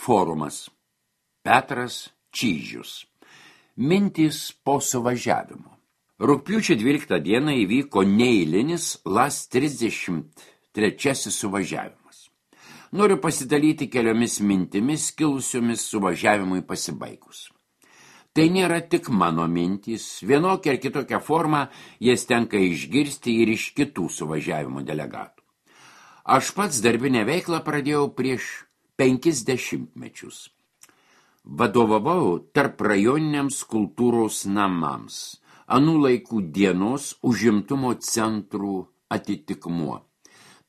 Forumas. Petras Čyžius. Mintys po suvažiavimo. Rugpjūčio 12 dieną įvyko neeilinis LAS 33 suvažiavimas. Noriu pasidalyti keliomis mintimis kilusiomis suvažiavimui pasibaigus. Tai nėra tik mano mintys, vienokia ar kitokia forma jas tenka išgirsti ir iš kitų suvažiavimo delegatų. Aš pats darbinę veiklą pradėjau prieš 50 mečius. Vadovavau tarp rajoniniams kultūros namams, anų laikų dienos užimtumo centrų atitikmuo,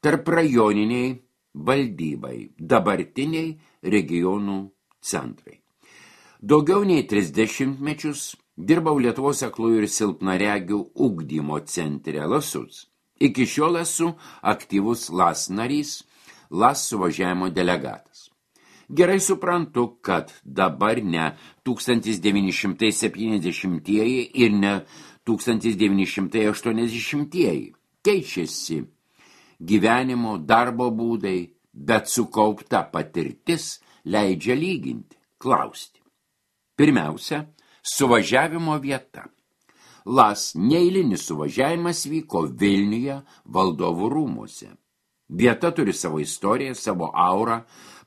tarp rajoniniai valdybai, dabartiniai regionų centrai. Daugiau nei 30 mečius dirbau Lietuvos aklųjų ir silpnaregių ugdymo centre LASUC. Iki šiol esu aktyvus LAS narys, LAS suvažiavimo delegatas. Gerai suprantu, kad dabar ne 1970-ieji ir ne 1980-ieji. Keičiasi gyvenimo, darbo būdai, bet sukaupta patirtis leidžia lyginti, klausti. Pirmiausia, suvažiavimo vieta. LAS neeilinis suvažiavimas vyko Vilniuje Valdovų rūmuose. Vieta turi savo istoriją, savo aurą,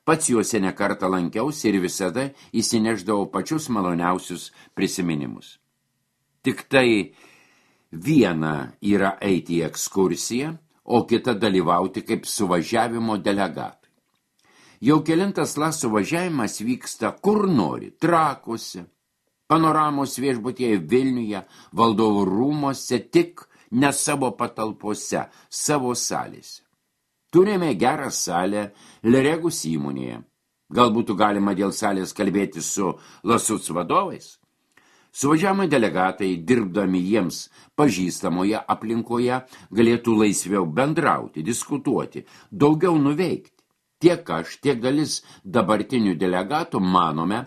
pats juose nekartą lankiausi ir visada įsineždavau pačius maloniausius prisiminimus. Tik tai viena yra eiti į ekskursiją, o kita dalyvauti kaip suvažiavimo delegatai. Jau kelintas LAS suvažiavimas vyksta kur nori, Trakuose, Panoramos viešbutyje Vilniuje, Valdovų rūmuose, tik ne savo patalpose, savo salėse. Turime gerą salę Leregus įmonėje. Gal būtų galima dėl salės kalbėti su LASUC vadovais? Suvažiavimo delegatai, dirbdami jiems pažįstamoje aplinkoje, galėtų laisviau bendrauti, diskutuoti, daugiau nuveikti. Tiek aš, tiek dalis dabartinių delegatų manome,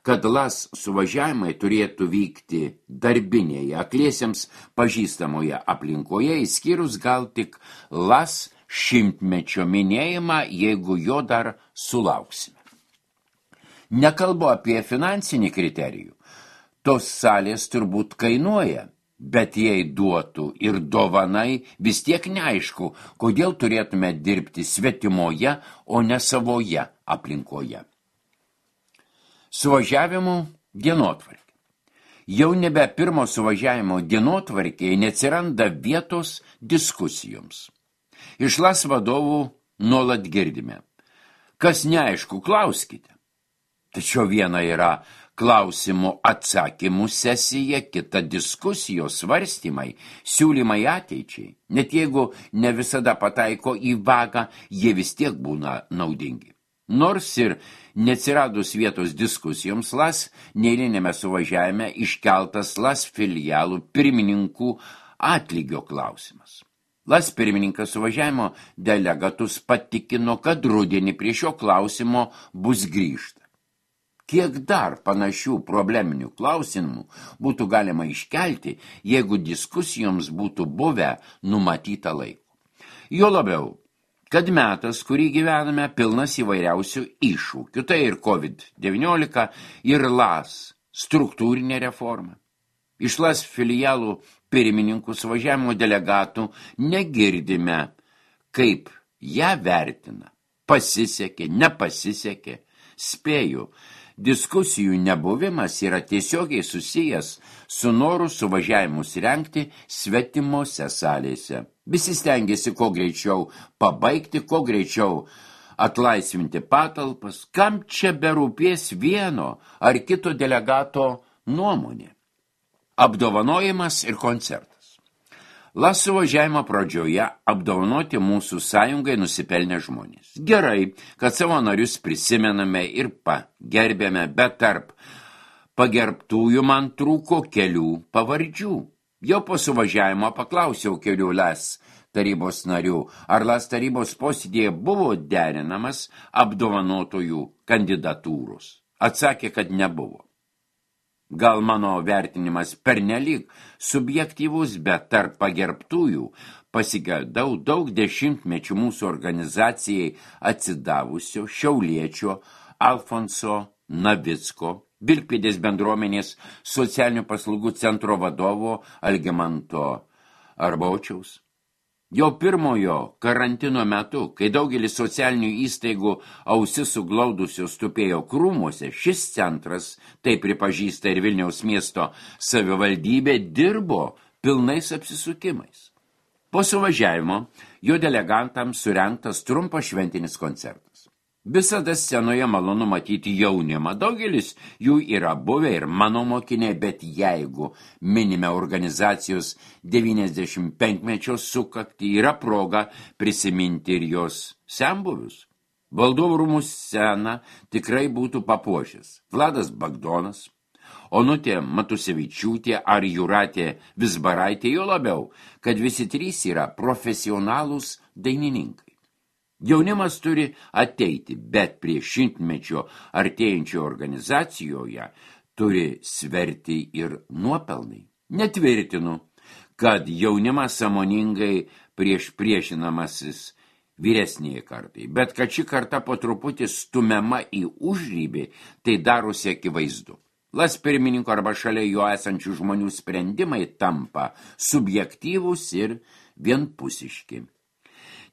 kad LAS suvažiavimai turėtų vykti darbinėje, akliesiems pažįstamoje aplinkoje, išskyrus gal tik LAS šimtmečio minėjimą, jeigu jo dar sulauksime. Nekalbu apie finansinį kriterijų. Tos salės turbūt kainuoja, bet jei duotų ir dovanai, vis tiek neaišku, kodėl turėtume dirbti svetimoje, o ne savoje aplinkoje. Suvažiavimų dienotvarkė. Jau nebe pirmo suvažiavimo dienotvarkėje neatsiranda vietos diskusijoms. Iš LAS vadovų nuolat girdime. Kas neaišku, klauskite. Tačiau viena yra klausimų atsakymų sesija, kita diskusijos svarstymai, siūlymai ateičiai. Net jeigu ne visada pataiko į vagą, jie vis tiek būna naudingi. Nors ir neatsiradus vietos diskusijoms, LAS neeilinėme suvažiavime iškeltas LAS filialų pirmininkų atlygio klausimas. LAS pirmininkas suvažiavimo delegatus patikino, kad rudenį prie šio klausimo bus grįžta. Kiek dar panašių probleminių klausimų būtų galima iškelti, jeigu diskusijoms būtų buvę numatyta laiko. Jo labiau, kad metas, kurį gyvename, pilnas įvairiausių iššūkių, tai ir COVID-19, ir LAS struktūrinė reforma. Iš LAS filialų pirmininkų suvažiavimo delegatų negirdime, kaip ją vertina. Pasisekė, nepasisekė, spėju. Diskusijų nebuvimas yra tiesiogiai susijęs su noru suvažiavimus rengti svetimose salėse. Visi stengiasi kuo greičiau pabaigti, kuo greičiau atlaisvinti patalpas, kam čia berūpės vieno ar kito delegato nuomonė. Apdovanojimas ir koncertas. LAS suvažiavimo pradžioje apdovanoti mūsų sąjungai nusipelnę žmonės. Gerai, kad savo narius prisimename ir pagerbėme, bet tarp pagerbtųjų man trūko kelių pavardžių. Jau po suvažiavimo paklausiau kelių LAS tarybos narių, ar LAS tarybos posėdėje buvo derinamas apdovanotojų kandidatūros. Atsakė, kad nebuvo. Gal mano vertinimas pernelyg subjektyvus, bet tarp pagerbtųjų pasigedau daug dešimtmečių mūsų organizacijai atsidavusio šiauliečio Alfonso Navicko, Vilkpėdės bendruomenės socialinių paslaugų centro vadovo Algimanto Arbaučiaus. Jau pirmojo karantino metu, kai daugelis socialinių įstaigų ausis suglaudusios tupėjo krūmuose, šis centras, tai pripažįsta ir Vilniaus miesto savivaldybė, dirbo pilnais apsisukimais. Po suvažiavimo jo delegantams surengtas trumpas šventinis koncertas. Visada scenoje malonu matyti jaunimą. Daugelis jų yra buvę ir mano mokiniai, bet jeigu minime organizacijos 95-mečio sukaktį, yra proga prisiminti ir jos senbuvius. Valdovų rūmų sceną tikrai būtų papuošęs Vladas Bagdonas, Onutė Matusevičiūtė ar Jūratė Vizbaraitė, jo labiau, kad visi trys yra profesionalūs dainininkai. Jaunimas turi ateiti, bet prie 100-mečio artėjančio organizacijoje turi sverti ir nuopelnai. Netvirtinu, kad jaunimas sąmoningai priešinamasis vyresnėje kartai, bet kad ši karta po truputį stumiama į užrybį, tai darosi akivaizdu. Las pirmininko arba šalia jo esančių žmonių sprendimai tampa subjektyvūs ir vienpusiški.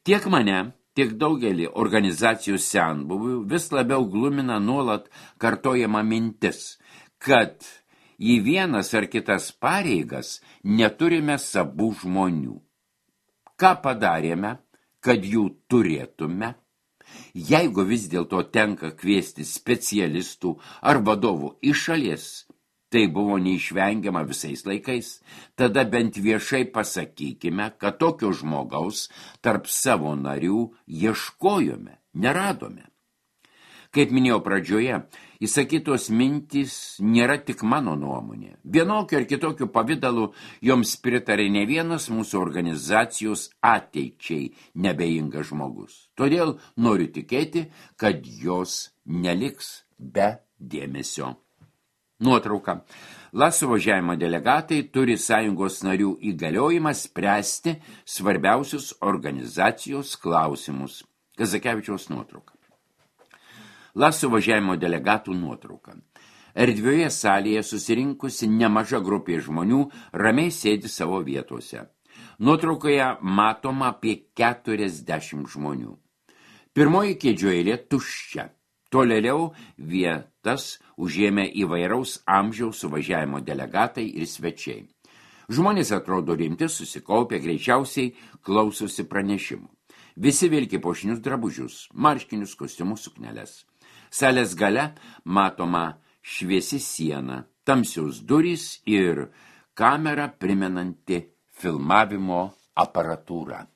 Tiek mane, tiek daugelį organizacijų senbuvių vis labiau glumina nuolat kartojama mintis, kad į vienas ar kitas pareigas neturime savų žmonių. Ką padarėme, kad jų turėtume? Jeigu vis dėlto tenka kviesti specialistų ar vadovų iš šalies, tai buvo neišvengiama visais laikais, tada bent viešai pasakykime, kad tokio žmogaus tarp savo narių ieškojome, neradome. Kaip minėjau pradžioje, įsakytos mintys nėra tik mano nuomonė. Vienokiu ar kitokiu pavidalu joms pritarė ne vienas mūsų organizacijos ateičiai nebeingas žmogus. Todėl noriu tikėti, kad jos neliks be dėmesio. Nuotrauka. LAS suvažiavimo delegatai turi sąjungos narių įgaliojimą spręsti svarbiausius organizacijos klausimus. Kazakevičiaus nuotrauka. LAS suvažiavimo delegatų nuotrauka. Erdvioje salėje susirinkusi nemaža grupė žmonių ramiai sėdi savo vietose. Nuotraukoje matoma apie 40 žmonių. Pirmoji kėdžių eilė tuščia. Tolėliau vietas užėmė įvairaus amžiaus suvažiavimo delegatai ir svečiai. Žmonės atrodo rimti, susikaupę, greičiausiai klausosi pranešimų. Visi vilki puošnius drabužius, marškinius, kostiumus, sukneles. Salės gale matoma šviesi siena, tamsios durys ir kamera primenanti filmavimo aparatūrą.